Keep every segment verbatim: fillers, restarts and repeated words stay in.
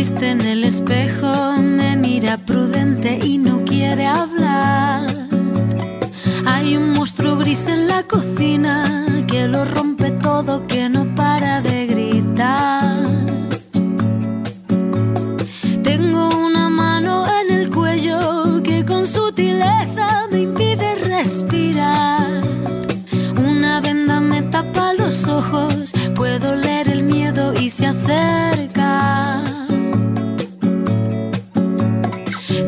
triste en el espejo, me mira prudente y no quiere hablar. Hay un monstruo gris en la cocina que lo rompe todo, que no para de gritar. Tengo una mano en el cuello que con sutileza me impide respirar. Una venda me tapa los ojos, puedo leer el miedo y se acerca.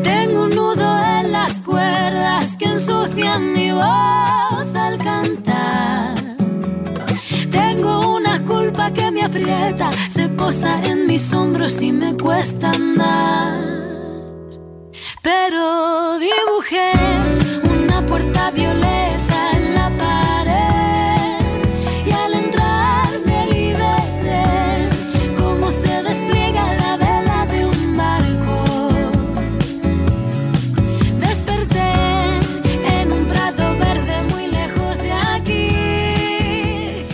Tengo un nudo en las cuerdas que ensucian mi voz al cantar. Tengo una culpa que me aprieta, se posa en mis hombros y me cuesta andar. Pero dibujé una puerta violeta en la pared y al entrar me liberé, como se despliega la vela de un barco. Desperté en un prado verde muy lejos de aquí.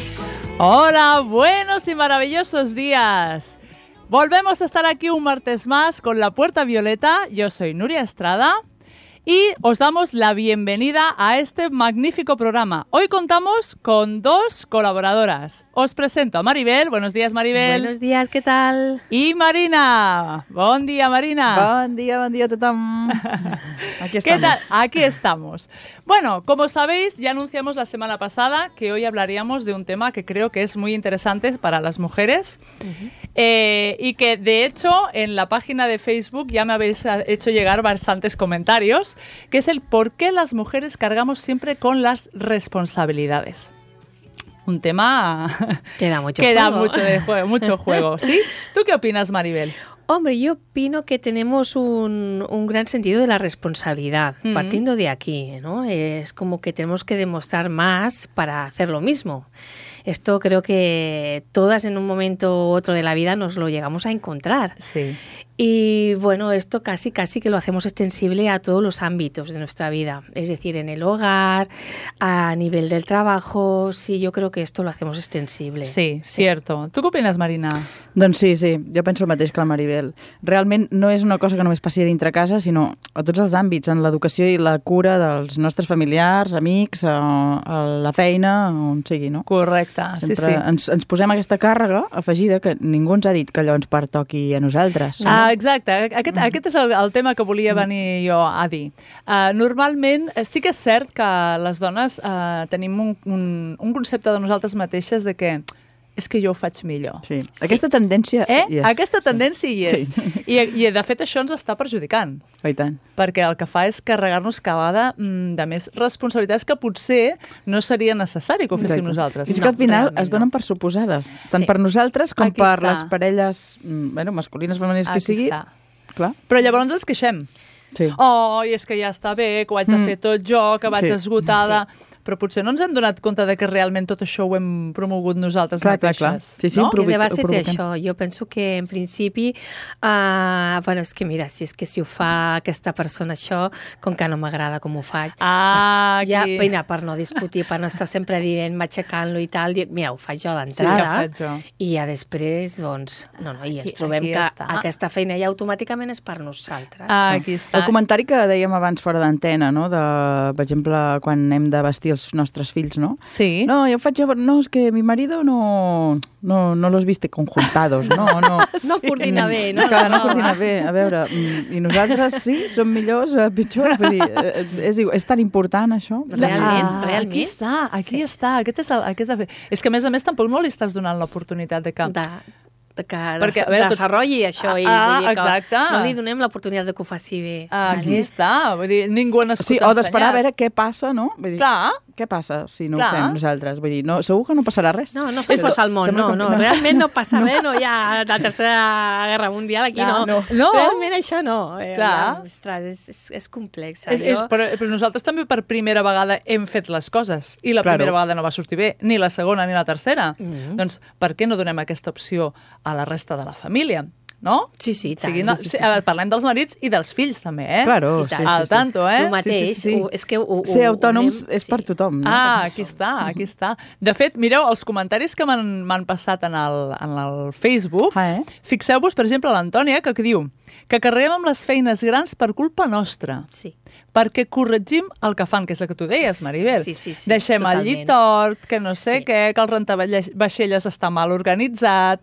Hola, buenos y maravillosos días. Volvemos a estar aquí un martes más con La Puerta Violeta. Yo soy Nuria Estrada y os damos la bienvenida a este magnífico programa. Hoy contamos con dos colaboradoras. Os presento a Maribel. Buenos días, Maribel. Buenos días, ¿qué tal? I Marina. Bon dia, Marina. Bon dia, bon dia a tothom. Aquí estamos. ¿Qué tal? Aquí estamos. Bueno, como sabéis, ya anunciamos la semana pasada que hoy hablaríamos de un tema que creo que es muy interesante para las mujeres. Uh-huh. Eh, y que de hecho en la página de Facebook ya me habéis hecho llegar bastantes comentarios, que es el por qué las mujeres cargamos siempre con las responsabilidades. Un tema que da mucho que juego. Da mucho, de juego, mucho juego. ¿Sí? ¿Tú qué opinas, Maribel? Hombre, yo opino que tenemos un, un gran sentido de la responsabilidad, mm-hmm. partiendo de aquí, ¿no? Es como que tenemos que demostrar más para hacer lo mismo. Esto creo que todas en un momento u otro de la vida nos lo llegamos a encontrar. Sí. Y bueno, esto casi casi que lo hacemos extensible a todos los ámbitos de nuestra vida. Es decir, en el hogar, a nivel del trabajo, sí, yo creo que esto lo hacemos extensible. Sí, sí. Cierto. ¿Tu què opines, Marina? Doncs sí, sí, jo penso el mateix que la Maribel. Realment no és una cosa que només passi dintre casa, sinó a tots els àmbits, en l'educació i la cura dels nostres familiars, amics, a, a la feina, on sigui, no? Correcte, Sempre sí, sí. Ens, ens posem aquesta càrrega afegida que ningú ens ha dit que allò ens pertoqui a nosaltres. Ah, exacte, aquest, aquest és el, el tema que volia venir jo a dir. Uh, normalment, sí que és cert que les dones uh, tenim un, un, un concepte de nosaltres mateixes de que és que jo ho faig millor. Sí. Sí. Aquesta tendència eh? hi és. Aquesta tendència hi és. Sí. I, I, de fet, això ens està perjudicant. Oh, i tant. Perquè el que fa és carregar-nos cada vegada mm, de més responsabilitats que potser no seria necessari que ho féssim Exacte. nosaltres. I és que al final es donen no. per suposades, tant Sí. per nosaltres com Aquí per està. les parelles bueno, masculines, femenines, que Aquí sigui. està. Clar. Però llavors ens queixem. Sí. Oh, i és que ja està bé, que ho haig de fer tot jo, que vaig Sí. esgotada... Sí. Però potser no ens hem donat compte de que realment tot això ho hem promogut nosaltres Clar, clar, mateixes. clar. Sí, sí, no? és Que de base té provoquem. això. Jo penso que, en principi, uh, bueno, és que mira, si és que si ho fa aquesta persona això, com que no m'agrada com ho faig. Ah, aquí. Ja, mira, per no discutir, per no estar sempre dient, matxacant-lo i tal, dic, mira, ho faig jo Sí, d'entrada. ja ho faig jo. I ja després, doncs, no, no, i ens Aquí- trobem aquí que està. aquesta feina ja automàticament és per nosaltres. Ah, aquí està. El comentari que dèiem abans fora d'antena, no? De, per exemple, quan hem de vestir els nostres fills, ¿no? Sí. No, yo faig... No, es que mi marido no, no, no los viste conjuntados, no, no. No coordina bé, no? Clar, no coordina bé. A veure, i nosaltres sí, som millors, eh, pitjors, vull dir, eh, és, és tan important això. Realment, Ah, realment. Aquí està, aquí Sí. està. Aquest és el, aquest és, el... és que, a més a més, tampoc no li estàs donant l'oportunitat de que... De, de que Perquè, a veure, tots- desenvolupi això. I, Ah, vull dir que exacte. no li donem l'oportunitat de que ho faci bé. Aquí està. Vull dir, ningú ha nascut Sí, o d'esperar a ensenyat. veure què passa, no? Vull dir, Clar. què passa si no Clar. ho fem nosaltres? Vull dir, no, segur que no passarà res. No, no s'enfonsa al món, Sembla no, que- no, realment no passa res, no hi ha la tercera guerra mundial, aquí Clar, no. no. No. Realment això no. Eh, Clar. ja, ostres, és, és, és complex. És, és, però, però nosaltres també per primera vegada hem fet les coses i la Claro. primera vegada no va sortir bé, ni la segona ni la tercera. Mhm. Doncs per què no donem aquesta opció a la resta de la família? no? Sí, sí, tant. Siguin, Sí, sí, sí, sí. Parlem dels marits i dels fills, també, eh? Claro, I tant. sí, Al sí, sí. tanto, eh? El mateix, Sí, sí, sí. Ho, és que ho, ho, Ser autònoms ho anem- és per tothom, no? Ah, aquí està, aquí està. De fet, mireu, els comentaris que m'han m'han passat en el, en el Facebook, Ah, eh? fixeu-vos, per exemple, l'Antònia, que, que diu que carreguem amb les feines grans per culpa nostra, Sí. perquè corregim el que fan, que és el que tu deies, Maribel. Sí, sí, sí, Deixem el totalment. llit tort, que no sé Sí. què, que el rentavaixelles està mal organitzat.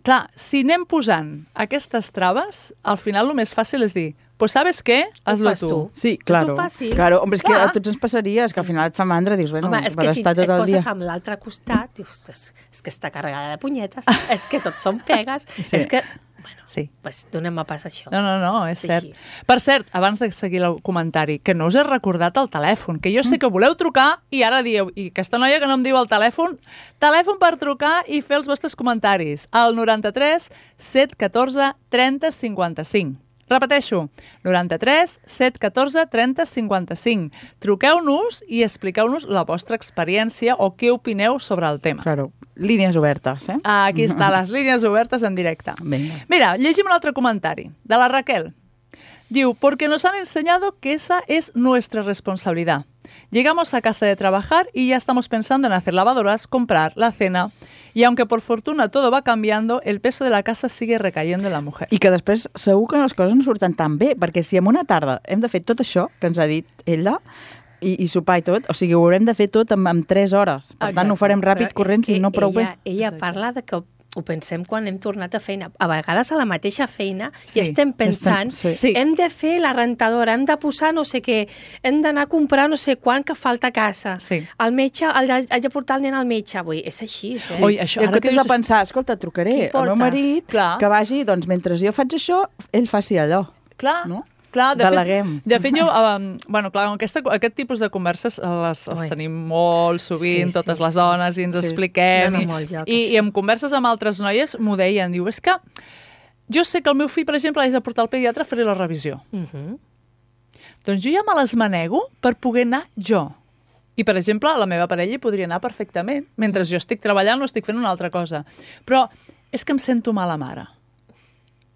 Clar, si anem posant aquestes traves, al final el més fàcil és dir, pues sabes què? Ho Hazlo fas tu. tu. Sí, És claro. lo fàcil. Claro, hombre, és que Clar. a tots ens passaria, és que al final et fa mandra, dius, bueno, Home, és per que si estar et tot el poses dia... amb l'altre costat, dius, és, és que està carregada de punyetes, és que tots són pegues, Sí. és que, bueno, Sí. pues, donem a pas això. No, no, no, és cert. així. Per cert, abans de seguir el comentari, que no us he recordat el telèfon, que jo sé que voleu trucar i ara dieu, i aquesta noia que no em diu el telèfon, telèfon per trucar i fer els vostres comentaris, al noranta-tres set un quatre trenta cinquanta-cinc. Repeteixo, noranta-tres set un quatre trenta cinquanta-cinc. Truqueu-nos i expliqueu-nos la vostra experiència o què opineu sobre el tema. Claro, línies obertes, eh? Aquí està, les línies obertes en directe. Vinga. Mira, llegim un altre comentari, de la Raquel. Diu, porque nos han enseñado que esa es nuestra responsabilidad. Llegamos a casa de trabajar y ya estamos pensando en hacer lavadoras, comprar la cena. Y aunque por fortuna todo va cambiando, el peso de la casa sigue recayendo en la mujer. I que després segur que les coses no surten tan bé, perquè si en una tarda hem de fer tot això que ens ha dit ella, i, i sopar i tot, o sigui, ho haurem de fer tot en, en tres hores. Per Exacte. tant, ho farem ràpid, Però corrents és i no que prou ella, bé. Ella Exacte. parla de que ho pensem quan hem tornat a feina. A vegades a la mateixa feina Sí, i estem pensant, estem- sí. hem de fer la rentadora, hem de posar no sé què, hem d'anar a comprar no sé quant que falta a casa. Sí. El metge, el, haig de portar el nen al metge. Vull, és així, eh? Oi, això, I en ara que comptes de dius... pensar, escolta, trucaré Qui al porta? meu marit, Clar. que vagi, doncs mentre jo faig això, ell faci allò. Clar, No? clar, de Deleguem. fet, de fet jo, um, bueno, clar, aquesta, aquest tipus de converses les, les Ui. tenim molt sovint, Sí, sí, totes les sí. dones, i ens Sí. expliquem, Anem a i, molts llocs. i, i en converses amb altres noies m'ho deien, diu, és que jo sé que el meu fill, per exemple, l'haig de portar al pediatre a fer la revisió. Uh -huh. Doncs jo ja me les manego per poder anar jo. I, per exemple, la meva parella hi podria anar perfectament. Mentre jo estic treballant o estic fent una altra cosa. Però és que em sento mala mare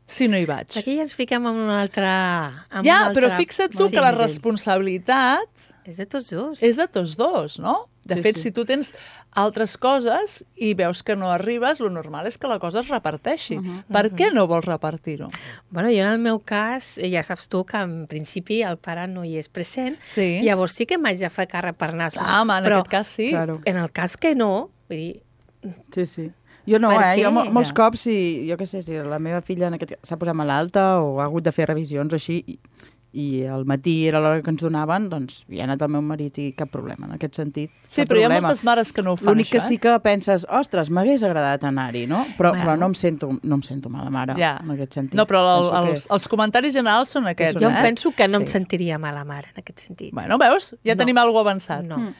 si no hi vaig. Aquí ja ens fiquem en un altre... En Ja, un altre... però fixa't tu Sí, que la nivell. responsabilitat És de tots dos. és de tots dos, no? De Sí, fet, sí. si tu tens altres coses i veus que no arribes, lo normal és que la cosa es reparteixi. Uh -huh, per uh -huh. què no vols repartir-ho? Bueno, jo en el meu cas, eh, ja saps tu que en principi el pare no hi és present, Sí. llavors sí que m'haig de fer càrrec per nassos. Ah, home, en però aquest cas sí. Claro. en el cas que no, vull dir, Sí, sí. Jo no, Per eh? Jo què? mo- molts cops, si, jo què sé, si la meva filla en aquest s'ha posat malalta o ha hagut de fer revisions o així, i, i al matí era l'hora que ens donaven, doncs hi ha anat el meu marit i cap problema en aquest sentit. Sí, cap però hi ha problema. moltes mares que no ho fan, L'únic això, que eh? sí que penses, ostres, m'hagués agradat anar-hi, no? Però, Bueno. però no em sento, no em sento mala mare Ja. en aquest sentit. No, però el, Penso que- els, els comentaris generals són aquests, jo eh? em penso que no em Sí. sentiria mala mare en aquest sentit. Bueno, veus? Ja No. tenim alguna cosa avançat. No.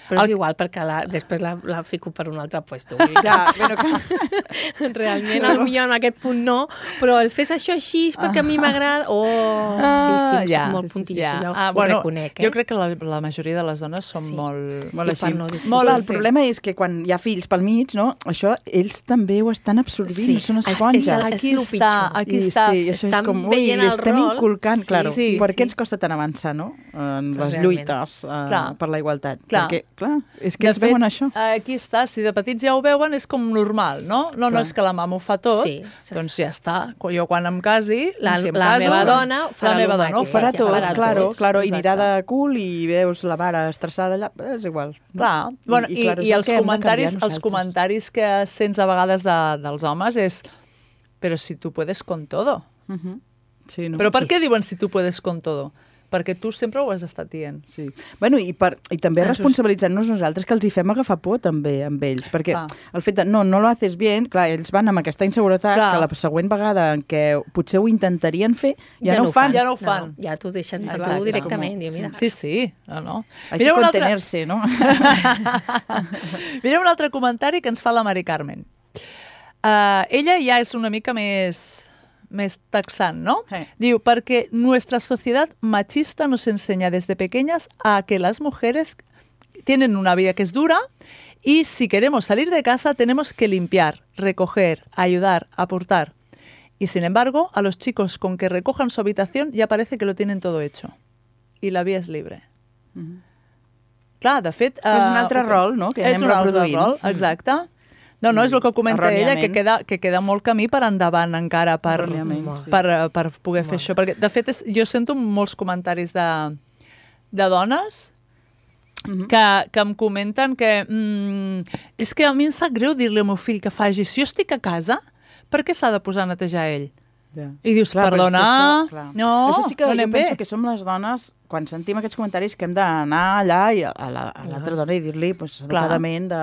Però El- és igual, perquè la, després la, la fico per un altre puesto. Vull dir que Ja, bueno, que... realment, potser en aquest punt no, però el fes això així és perquè a mi m'agrada... Oh, sí, sí, ja. soc molt Sí, sí, puntilla, ja. això Ah, ho bueno, reconec, eh? Jo crec que la, la majoria de les dones són Sí. molt... Molt I així. per no discutir. Molt, Clar, el sí. problema és que quan hi ha fills pel mig, no? Això, ells també ho estan absorbint, Sí, no són és- és esponges. el- Aquí lo està, pitjor. aquí I està. sí, això Estan és com, ui, veient li el estem rol. inculcant, Sí, claro. sí, per sí. què ens costa tant avançar, no? En les Realment. lluites uh, Clar. per la igualtat. Clar. Perquè, clar, és que De ells veuen això. Aquí està, si de petits ja ho veuen, és com normal, no? No, no Clar. és que la mama ho fa tot, Sí. doncs ja està. Jo quan em casi, La- si em la caso, meva doncs, dona farà la meva lo dona ho mateix. Farà farà tot, farà claro, tot. claro, i Exacte. anirà de cul i veus la mare estressada allà, és igual. no? Clar, bueno, i, i, claro, és i el els que hem de comentaris, canviar els nosaltres. comentaris que sents a vegades de, dels homes és però si tu puedes con todo. Mhm. Sí, no? Però per Sí. què diuen si tu puedes con todo? Perquè tu sempre ho has estat dient. Sí. Bueno, i, per, i també Ens ho- responsabilitzant-nos nosaltres que els hi fem agafar por també amb ells, perquè Clar. el fet de no, no lo haces bien, clar, ells van amb aquesta inseguretat Clar. que la següent vegada en què potser ho intentarien fer, ja, no ho fan. Ja no ho fan. No, ja t'ho deixen per Exacte. tu directament. Diu, mira, Sí, sí, no, no. Hay Mira que un altre, contenerse, no? mira un altre comentari que ens fa la Mari Carmen. Uh, ella ja és una mica més... més taxant, ¿no? Sí. Diu, porque nuestra sociedad machista nos enseña desde pequeñas a que las mujeres tienen una vida que es dura y si queremos salir de casa tenemos que limpiar, recoger, ayudar, aportar. Y sin embargo, a los chicos con que recojan su habitación ya parece que lo tienen todo hecho. Y la vía és libre. Mhm. Clar, de fet... És un eh, altre rol, no?, que és anem un altre reproduint. rol, exacte. No, no, és el que comenta ella, que queda, que queda molt camí per endavant encara per, Erròniament, sí. per, per poder fer això. Perquè, de fet, és, jo sento molts comentaris de, de dones Mhm. que, que em comenten que mm, és que a mi em sap greu dir-li al meu fill que faci. Si jo estic a casa, per què s'ha de posar a netejar ell? Ja. I dius, Clar, però és que perdona, això, clar. no, Això sí que no jo anem penso bé. que som les dones, quan sentim aquests comentaris, que hem d'anar allà i a la- a l'altra dona i dir-li pues, educadament de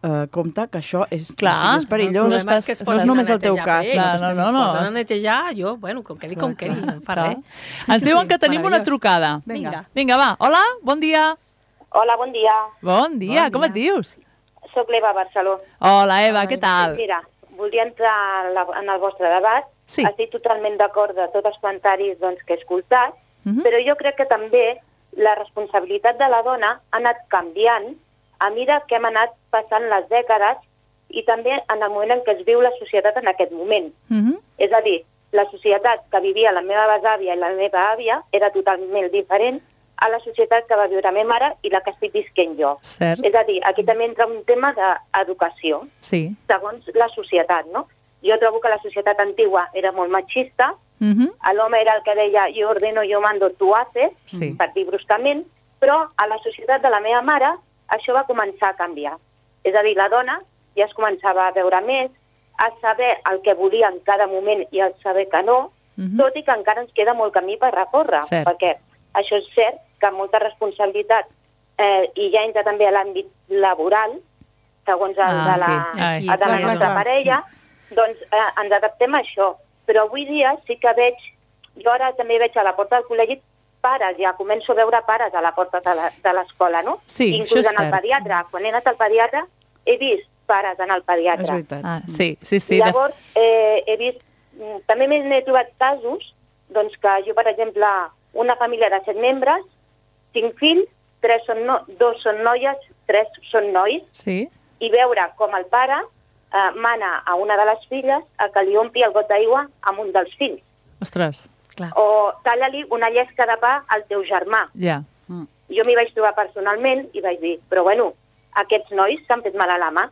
uh, compte que això és, Clar, és perillós. El problema és que es no és posen només a el teu netejar cas. per Clar, ells. no, Si no, es no. posen a netejar, jo, bueno, com quedi, com quedi, no em fa Clar. res. Sí, Ens sí, diuen sí, que tenim una meravellós. trucada. Vinga. Vinga, va. Hola, bon dia. Hola, bon dia. Bon dia, Bon com dia. et dius? Soc l'Eva Barceló. Hola, Eva, Hola, què Eva. tal? Mira, volia entrar en, la, en el vostre debat. Sí. Estic totalment d'acord de tots els comentaris doncs, que he escoltat, Mhm. però jo crec que també la responsabilitat de la dona ha anat canviant a mesura que hem anat passant les dècades i també en el moment en què es viu la societat en aquest moment. Mhm. És a dir, la societat que vivia la meva besàvia i la meva àvia era totalment diferent a la societat que va viure la meva mare i la que estic visquent jo. Cert, És a dir, aquí també entra un tema d'educació, sí. segons la societat, no? Jo trobo que la societat antigua era molt machista, Mhm. l'home era el que deia jo ordeno, jo mando, tu haces, Sí. per dir bruscament, però a la societat de la meva mare això va començar a canviar. És a dir, la dona ja es començava a veure més, a saber el que volia en cada moment i a saber que no, Mhm. tot i que encara ens queda molt camí per recórrer, Cert. perquè això és cert que molta responsabilitat, eh, i ja entra també a l'àmbit laboral, segons el Ah, de la, aquí. Ai. el de la Clar, nostra clar, clar. parella, doncs eh, ens adaptem a això. Però avui dia sí que veig, jo ara també veig a la porta del col·legi pares, ja començo a veure pares a la porta de la- de l'escola, no? Sí, Inclús això és en el cert. pediatre. Quan he anat al pediatre he vist pares anar al És pediatre. veritat. Ah, sí, sí, sí. I de- llavors eh, he vist, mm, també m'he n'he trobat casos, doncs que jo, per exemple, una família de set membres, cinc fills, tres són no, dos són noies, tres són nois, Sí. i veure com el pare eh, mana a una de les filles a que li ompli el got d'aigua amb un dels fills. Ostres, Clar. O talla-li una llesca de pa al teu germà. ja. Jo m'hi vaig trobar personalment i vaig dir, però bueno, aquests nois s'han fet mal a la mà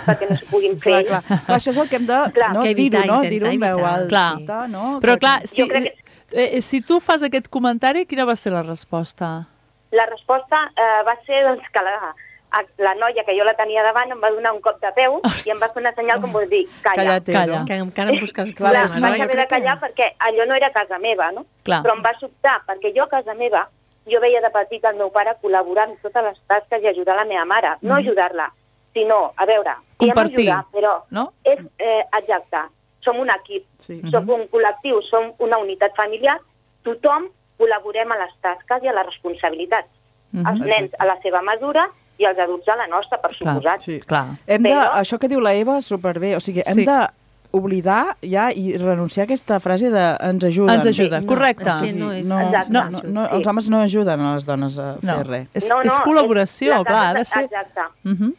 perquè no s'ho puguin fer. Clar, clar. Clar, això és el que hem de Clar, no, que dir-ho, evitar, no? intentar Dir-ho en veu evitar. alta, Clar. no? Però Perquè- clar, si, Jo crec eh, si tu fas aquest comentari, quina va ser la resposta? La resposta eh, va ser doncs, que la, a- la noia que jo la tenia davant em va donar un cop de peu i em va fer una senyal com vol dir, calla. Cállate, Calla. no? Que encara em busques Clar, Clar, problemes, no, vaig oi? jo haver de crec que- callar perquè allò no era casa meva, no? Clar. Però em va sobtar, perquè jo a casa meva, jo veia de petit el meu pare col·laborar en totes les tasques i ajudar la meva mare. No ajudar-la, sinó, a veure, diem Compartir, ajudar, però no? és eh, exacte. Som un equip, Sí. som un col·lectiu, som una unitat familiar, tothom col·laborem a les tasques i a les responsabilitats. Mhm. Els nens a la seva mesura i els adults a la nostra, per Clar. suposat. Sí. Clar. Hem de, Però- això que diu la Eva, superbé. O sigui, hem Sí. de oblidar ja i renunciar a aquesta frase de ens ajuden. Ens ajuda, No, correcte. és que no és- no, Exacte. no, no, no, Sí. els homes no ajuden a les dones a No, fer res. és, No, no, és col·laboració, la clar, ha de casa- ser... Exacte. Mhm.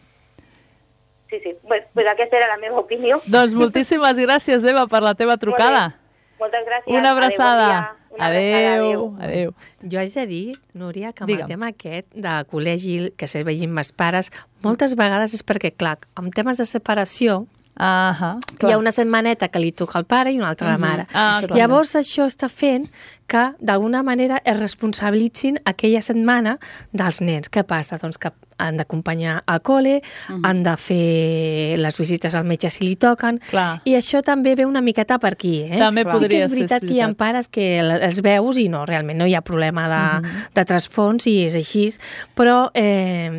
Sí, sí. Pues, pues aquesta era la meva opinió. Doncs moltíssimes gràcies, Eva, per la teva trucada. Moltes gràcies. Una abraçada. Adéu, bon dia. Una Adéu, abraçada, adéu. Jo haig de dir, Núria, que amb Digue'm. el tema aquest de col·legi, que se vegin més pares, moltes vegades és perquè, clar, en temes de separació, Ahà. hi ha una setmaneta que li toca al pare i una altra a la mare. Ah, clar. Llavors això està fent que d'alguna manera es responsabilitzin aquella setmana dels nens. Què passa? Doncs que han d'acompanyar al col·le, han de fer les visites al metge si li toquen, Clar. i això també ve una miqueta per aquí. Eh? També sí que podria és ser, veritat és que hi ha veritat. pares que els veus i no, realment no hi ha problema de, de trasfons i és així, però eh,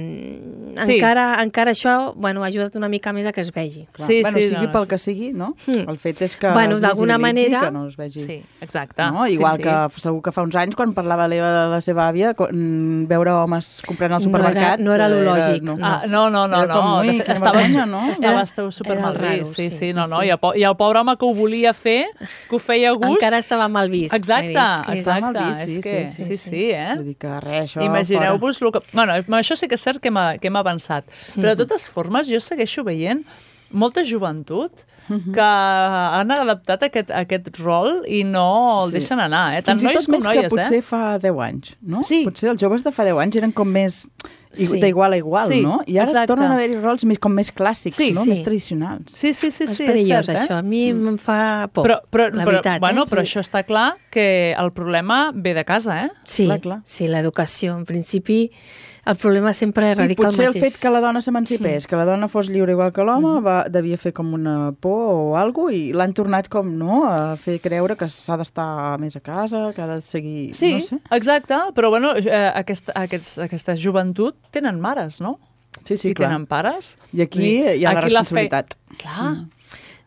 Sí. encara, encara això bueno, ha ajudat una mica més a que es vegi. Clar. Sí, bueno, sí, sigui no. pel que sigui, no? Mm. El fet és que Bueno, es d'alguna visibilitzi, manera- que no es vegi. Sí, exacte. No? Sí, Igual sí. que segur que fa uns anys, quan parlava l'Eva de la seva àvia, quan, veure homes comprant al No era- supermercat... no era lo lògic. no. Ah, no, no, no, Era com, no. ui, De fet, quina estava, vergonya, no? estava, Era- estava super era mal raro, vist. Sí, sí, sí, no, no. sí. I el, po- I el pobre home que ho volia fer, que ho feia a gust... Encara estava mal vist. Exacte, És que és- exacte. mal vist, sí, és que, sí, sí, sí, sí, eh? Vull dir que res, això Imagineu-vos... Lo que... Bueno, amb això sí que és cert que hem, que hem avançat. Però de totes formes, jo segueixo veient molta joventut que han adaptat aquest, aquest rol i no el Sí. deixen anar, eh? Tant Fins i nois tot com més noies, que potser eh? fa deu anys, no? Sí. Potser els joves de fa deu anys eren com més i- Sí. d'igual a igual, Sí, no? I ara exacte. tornen a haver-hi rols més, com més clàssics, Sí, no? sí. Més tradicionals. Sí, sí, sí, és sí, perillós, és cert, això. eh? A mi em fa por, Però, però, la però, veritat. bueno, eh? però això està clar que el problema ve de casa, eh? Sí, Clar, clar. sí, l'educació. En principi, el problema sempre Sí, radica potser el el mateix. fet que la dona s'emancipés, que la dona fos lliure igual que l'home, va, devia fer com una por o alguna cosa, i l'han tornat com, no?, a fer creure que s'ha d'estar més a casa, que ha de seguir... Sí, no sé. exacte, però bueno, eh, aquesta, aquests, aquesta joventut tenen mares, no? Sí, sí, I clar. tenen pares. I aquí hi ha la Aquí responsabilitat. fe... Clar.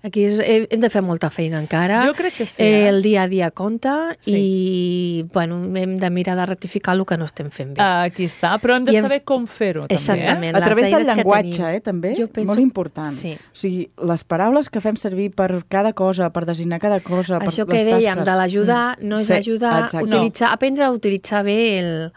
Aquí és- he- hem de fer molta feina encara. Jo crec que sí, Eh, eh? el dia a dia compta Sí. i bueno, hem de mirar de rectificar el que no estem fent bé. Aquí està, però hem de I hem- saber com fer-ho, també, Exactament. eh? A través les del eines que llenguatge, tenim. eh, també, Jo penso- molt important. Sí. O sigui, les paraules que fem servir per cada cosa, per designar cada cosa, per Això que les dèiem tasques. de l'ajudar, no és Sí, ajudar, exacte. utilitzar, aprendre a utilitzar bé el,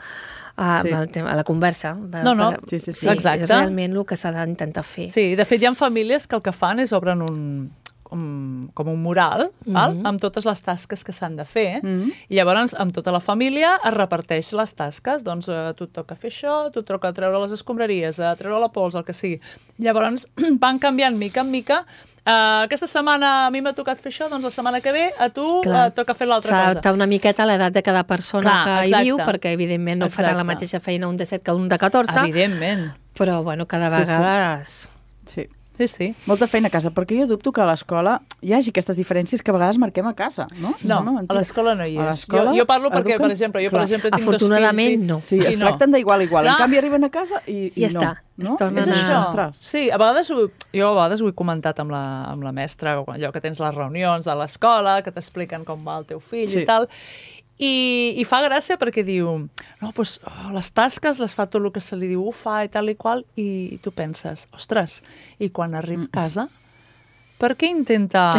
a, Sí. el tema, la conversa. Per- No, no, per- sí, sí, sí. sí, Exacte. És realment el que s'ha d'intentar fer. Sí, de fet hi ha famílies que el que fan és obren un, com, com un mural, val? Amb totes les tasques que s'han de fer, i llavors amb tota la família es reparteix les tasques, doncs eh, tu et toca fer això, tu et toca treure les escombraries, eh, treure la pols, el que sigui. Llavors van canviant mica en mica. Uh, aquesta setmana a mi m'ha tocat fer això, doncs la setmana que ve a tu Clar. uh, toca fer l'altra S'ha cosa. d'adaptar una miqueta a l'edat de cada persona Clar, que exacte. hi viu, perquè evidentment no farà Exacte. la mateixa feina un de set que un de catorze, Evidentment. però bueno, cada Sí, sí. vegada... es- Sí. Sí, sí. Molta feina a casa, perquè jo dubto que a l'escola hi hagi aquestes diferències que a vegades marquem a casa, no? No, Sembla a mentida. l'escola no hi A és. l'escola Jo, jo parlo perquè, eduquen- per exemple, jo, per Clar. exemple, tinc Afortunadament, dos fills. no. Sí, es no. tracten d'igual a igual. Clar. En canvi, arriben a casa i, i Ja no. està, No? es tornen És a- això. Ostres. Sí, a vegades ho, jo a vegades ho he comentat amb la, amb la mestra, allò que tens les reunions a l'escola, que t'expliquen com va el teu fill Sí. i tal, i, i fa gràcia perquè diu, no, doncs oh, les tasques les fa tot el que se li diu, ho fa i tal i qual, i tu penses, ostres, i quan arriba a casa, per què intenta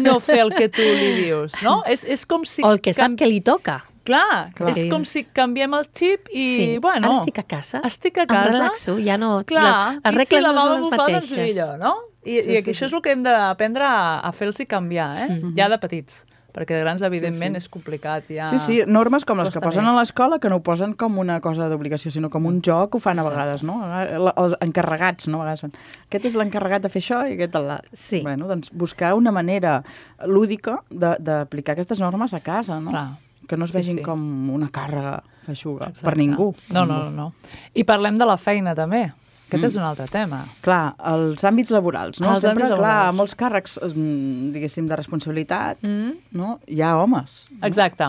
no fer el que tu li dius, no? És, és com si... O el que sap canvi- que li toca. Clar, Clar. és com És- si canviem el xip i, sí. bueno... Ara estic a casa, Estic a em casa, relaxo, ja no... clar, les, les i regles si la no mama són les m'ho fa, doncs mateixes. millor, no? I, i aquí això és el que hem d'aprendre a, a fer-los canviar, eh? Ja de petits. Perquè de grans, evidentment, és complicat. Ja... Sí, sí, normes com les que Costa posen més. a l'escola, que no ho posen com una cosa d'obligació, sinó com un joc, ho fan a vegades, no? Els encarregats, no? A vegades fan, aquest és l'encarregat de fer això i aquest l'altre. Sí. Bueno, doncs buscar una manera lúdica de- d'aplicar aquestes normes a casa, no? Clar. Que no es Sí, vegin sí. com una càrrega feixuga Exacte. per ningú. No, no, no, no. I parlem de la feina, també. Aquest és un altre tema. Clar, els àmbits laborals, no? Els Sempre, àmbits clar, laborals. molts càrrecs, mm, diguéssim, de responsabilitat, Mm. no? Hi ha homes. Exacte.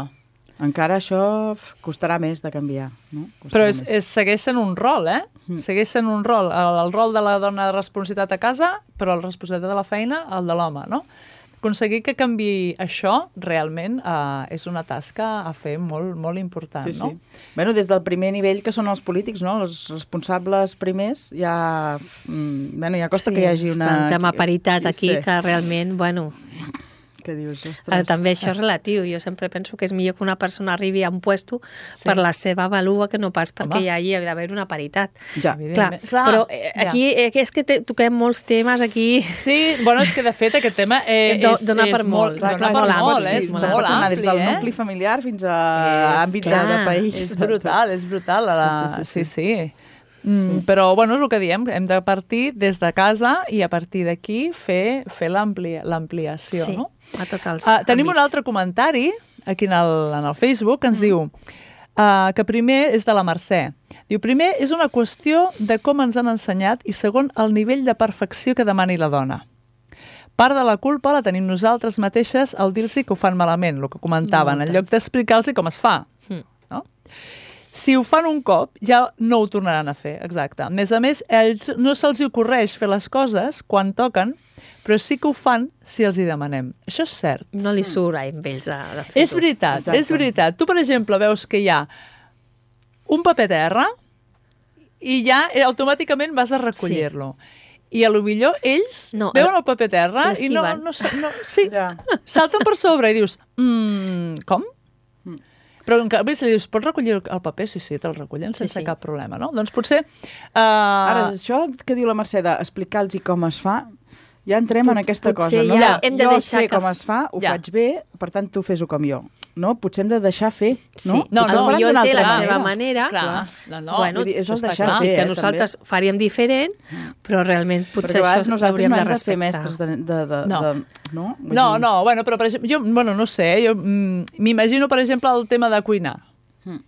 Encara això f, costarà més de canviar, no? Costarà Però és, més. és, segueix sent un rol, eh? Segueix sent un rol. El, el rol de la dona de responsabilitat a casa, però la responsabilitat de la feina, el de l'home, no? Aconseguir que canvi això, realment, eh, és una tasca a fer molt, molt important, Sí, sí. no? Bueno, des del primer nivell, que són els polítics, no? Els responsables primers, ja... Mm, bueno, ja costa Sí, que hi hagi està una... un tema paritat aquí, Sí. que realment, bueno... Que dius, Eh, ostres... també això és relatiu. Jo sempre penso que és millor que una persona arribi a un puesto sí. per la seva valua que no pas perquè Home. hi hagi d'haver una paritat. Ja. Clar, Evidentment. Clar, però eh, ja. aquí eh, és que te, toquem molts temes aquí. Sí, bueno, és que de fet aquest tema eh, Do- és, dona per és molt, Dona clar, per és molt, ampli, eh? és és molt molt anar ampli, des del eh? nucli familiar fins a És- àmbit de, clar, de país. És brutal, és brutal. La... Sí, sí, Sí, sí, sí. sí. Mm, sí. Però, bueno, és el que diem, hem de partir des de casa i a partir d'aquí fer, fer l'ampliació, Sí, no? a tots els Uh, tenim un àmbits. altre comentari aquí en el, en el Facebook que ens mm. diu uh, que primer és de la Mercè. Diu, primer és una qüestió de com ens han ensenyat i segon el nivell de perfecció que demani la dona. Part de la culpa la tenim nosaltres mateixes al dir-los que ho fan malament, el que comentaven, Molta. en lloc d'explicar-los com es fa. Mm. No? Si ho fan un cop, ja no ho tornaran a fer, exacte. A més a més, ells no se'ls ocorreix fer les coses quan toquen, però sí que ho fan si els hi demanem. Això és cert. No li surt a ells de, de fer-ho. És veritat, Exacte. és veritat. Tu, per exemple, veus que hi ha un paper terra i ja eh, automàticament vas a recollir-lo. I a lo millor ells No, no, veuen el- el paper terra i no, l'esquiven. no, sa- no, sí, Ja. salten per sobre i dius, mm, com? Però en canvi, si li dius, pots recollir el paper? Sí, sí, te'l recullen sense Sí, sí. cap problema, no? Doncs potser... Uh, Ara, això que diu la Mercè d'explicar-los com es fa, ja entrem Pot- en aquesta cosa, potser no? ja hem de jo deixar sé que com f- es fa, ho Ja. faig bé, per tant, tu fes-ho com jo. No? Potser hem de deixar fer, Sí, no? No, potser no, potser d'una ell té la altra seva manera. manera. Clar, no, no. Bueno, Vull dir, és això el està deixar clar. Tot i fer, que eh, nosaltres faríem diferent, però realment Perquè potser a vegades això nosaltres hauríem no de hem de fer respectar. mestres de... de, de, No. de no? Vull No, dir, no, bueno, però per exemple, jo, bueno, no sé, jo mm, m'imagino, per exemple, el tema de cuinar. Mm.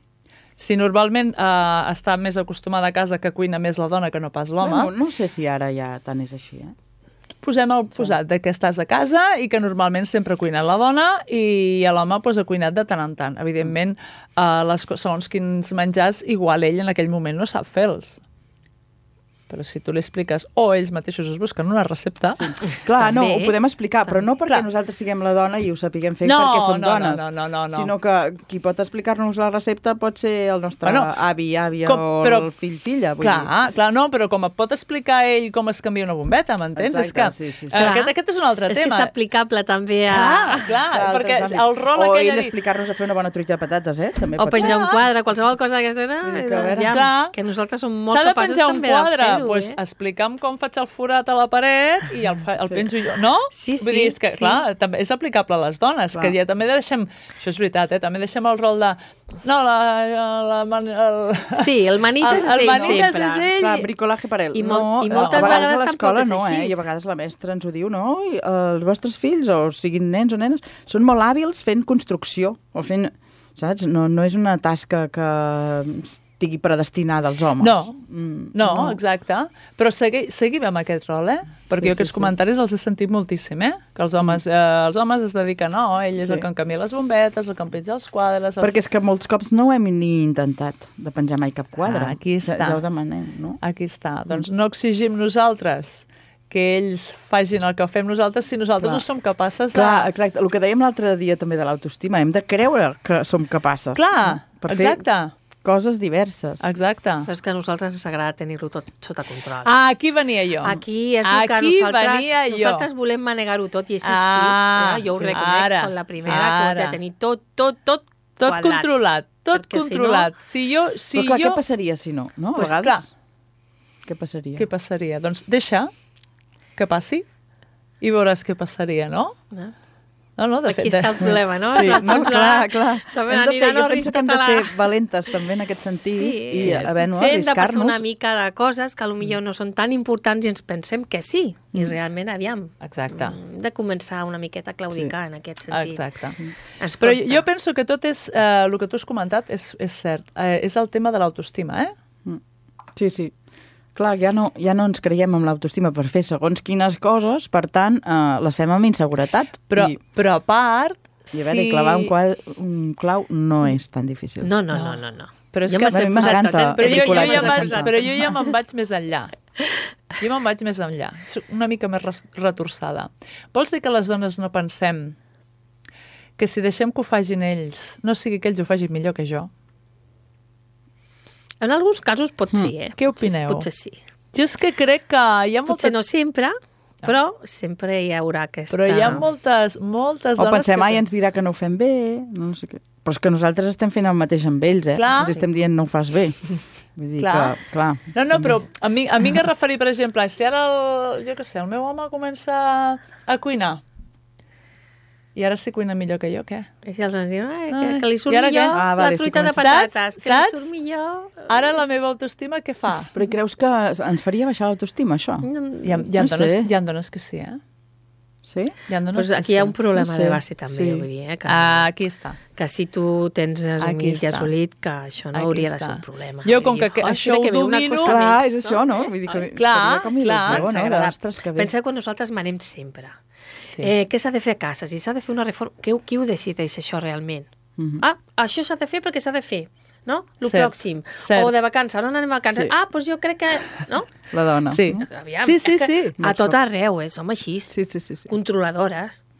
Si normalment eh, està més acostumada a casa que cuina més la dona que no pas l'home, Bueno, no sé si ara ja tant és així, eh? posem el posat de que estàs a casa i que normalment sempre ha cuinat la dona i l'home pues, ha cuinat de tant en tant. Evidentment, eh, les, co- segons quins menjars, igual ell en aquell moment no sap fer-los. Però si tu li expliques, o ells mateixos es busquen una recepta... Sí. Clar, no, També. ho podem explicar, però no perquè Clar. nosaltres siguem la dona i ho sapiguem fer No, perquè som no, no, dones, no, no, no, no. sinó que qui pot explicar-nos la recepta pot ser el nostre Bueno, avi, àvia com- o però- el fill, filla. Vull Clar, dir. clar, no, però com et pot explicar ell com es canvia una bombeta, m'entens? És que Exacte, sí, sí, sí. eh, aquest, aquest és un altre És que tema. és aplicable també a... Clar, clar, D'altres perquè àmbits. el rol o aquell... ell de dir- explicar-nos a fer una bona truita de patates, eh? També O pot penjar ser. un quadre, qualsevol cosa d'aquesta. Vull dir que, a veure, Aviam, clar. que nosaltres som molt S'ha de capaços penjar un també quadre, de fer-ho, pues, eh? explica'm com faig el forat a la paret i el, fa- el Sí. penjo jo, no? Sí, Vull dir, sí, és que, sí. clar, també és aplicable a les dones, Clar. que ja també deixem, això és veritat, eh? També deixem el rol de... No, la... la, la el, Sí, el manites el, és el ell manites sempre. és ell. Clar, bricolaje per ell. I no, mol- i a moltes vegades vegades a l'escola tampoc és no, eh? així. I a vegades la mestra ens ho diu, no? I els vostres fills, o siguin nens o nenes, són molt hàbils fent construcció, o fent... Saps? No, no és una tasca que estigui predestinada als homes. No, Mm, no, exacte. Però segui, seguim amb aquest rol, eh? Perquè Sí, jo aquests sí, sí. comentaris els he sentit moltíssim, eh? Que els homes, eh, els homes es dediquen, no, ell és Sí. el que en canvia les bombetes, el que en penja els quadres... Els... Perquè és que molts cops no ho hem ni intentat, de penjar mai cap quadre. Ah, aquí Ja, està. ja ho demanem, no? Aquí està. Doncs no exigim nosaltres que ells facin el que fem nosaltres si nosaltres Clar. no som capaces de... Clar, exacte. El que dèiem l'altre dia també de l'autoestima, hem de creure que som capaces. Clar, per exacte. fer coses diverses. Exacte. Però és que a nosaltres ens agrada tenir-ho tot sota control. Ah, aquí venia jo. Aquí és el que Aquí nosaltres, venia jo. nosaltres volem manegar-ho tot i és així. Ah, eh? Jo ho sí. reconec, Ara, som la primera ara. que ho haig de tenir tot, tot, tot Tot quadrat. controlat, tot Perquè si controlat. Si, jo... Si Però clar, jo... què passaria si no? no? A Pues vegades... Què passaria? Què passaria? Doncs deixa que passi i veuràs què passaria, no? No? No, no, de Aquí fet... està el problema, no? Sí, En el no, fons, clar, la- clar. Som Hem de fer, aniran jo al penso que hem de català. ser valentes també en aquest sentit Sí, i haver, no, potser hem de passar arriscar-nos. una mica de coses que potser no són tan importants i ens pensem que sí. I realment, aviam, Exacte. hem de començar una miqueta a claudicar en aquest sentit. Exacte. Ens Però costa. jo penso que tot és... Eh, el que tu has comentat és, és cert. Eh, és el tema de l'autoestima, eh? Sí, sí. Clar, ja no, ja no ens creiem amb l'autoestima per fer segons quines coses, per tant, eh, les fem amb inseguretat. Però, I, però a part... i a veure, si... clavar un, quadre, un clau no és tan difícil. No, no, no, no. no. Però és Jo que... me'ls he a mi posat m'encanta tot, eh? Però jo, jo, bricolatge, ja vaig, m'encanta. però jo ja me'n vaig més enllà. Jo me'n vaig més enllà. Soc una mica més res- retorçada. Vols dir que les dones no pensem que si deixem que ho facin ells, no sigui que ells ho facin millor que jo? En alguns casos pot ser, eh? Què Potser- opineu? Potser sí. Jo és que crec que hi ha molta... Potser no sempre, però sempre hi haurà aquesta... Però hi ha moltes, moltes O dones pensem, que... ai, ens dirà que no ho fem bé, no sé què. Però és que nosaltres estem fent el mateix amb ells, eh? Clar. Els estem dient no ho fas bé. Vull dir Clar. que, clar. No, no, però a mi, a mi em referir, per exemple, si ara, el, jo què sé, el meu home comença a cuinar, i ara sí cuina millor que jo, què? I si els nens diuen, ai, que, Ai, que li surt i ara millor què? Ah, la vale, sí, truita de comença- patates, Saps? que li Saps? surt millor... Ara la meva autoestima què fa? Però hi creus que ens faria baixar l'autoestima, això? Hi ha, hi, ha No dones, sé. hi ha dones que sí, eh? Sí? Hi ha dones Pues que aquí hi ha sí. un problema No sé, de base també, sí. vull dir, eh? Que, Ah, aquí està. que si tu tens Aquí assumit i està. assolit, que això no Aquí hauria de està. ser un problema. Jo, com Vull dir, que "Oh, això mira ho que ve una domino-" cosa Clar, més, és això, no? Vull dir que Ai, clar, seria com clar. il·lusió, Ens no? agrada. Ostres, que bé. Pensa que nosaltres manem sempre. Sí. Eh, què s'ha de fer a casa? Si s'ha de fer una reforma... Qui, qui ho decideix, això, realment? Mhm. Ah, això s'ha de fer perquè s'ha de fer, no? Lo Cert, pròxim. cert. O de vacances, on anem a vacances? Sí. Ah, doncs jo crec que... No? La dona. Sí. Aviam, Sí, sí, és que sí. A tot arreu, eh? Som així. Sí, sí, sí. sí. Controladores.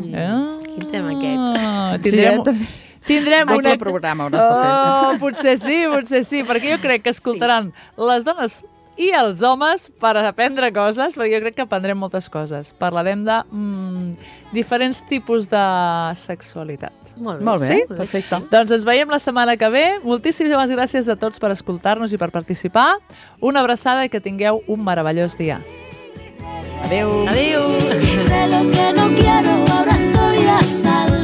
Mm. Ah, Quin tema aquest. Tindrem, Sí, eh, també. tindrem Doble una... programa hauràs de fer. Oh, potser sí, potser sí, perquè jo crec que escoltaran sí. les dones i els homes per aprendre coses, perquè jo crec que aprendrem moltes coses. Parlarem de mm, diferents tipus de sexualitat. Molt bé. Molt bé, Sí? perfecte. Sí. Doncs ens veiem la setmana que ve. Moltíssimes gràcies a tots per escoltar-nos i per participar. Una abraçada i que tingueu un meravellós dia. Adéu. Adéu. Sé lo que no quiero, ahora estoy a salvo.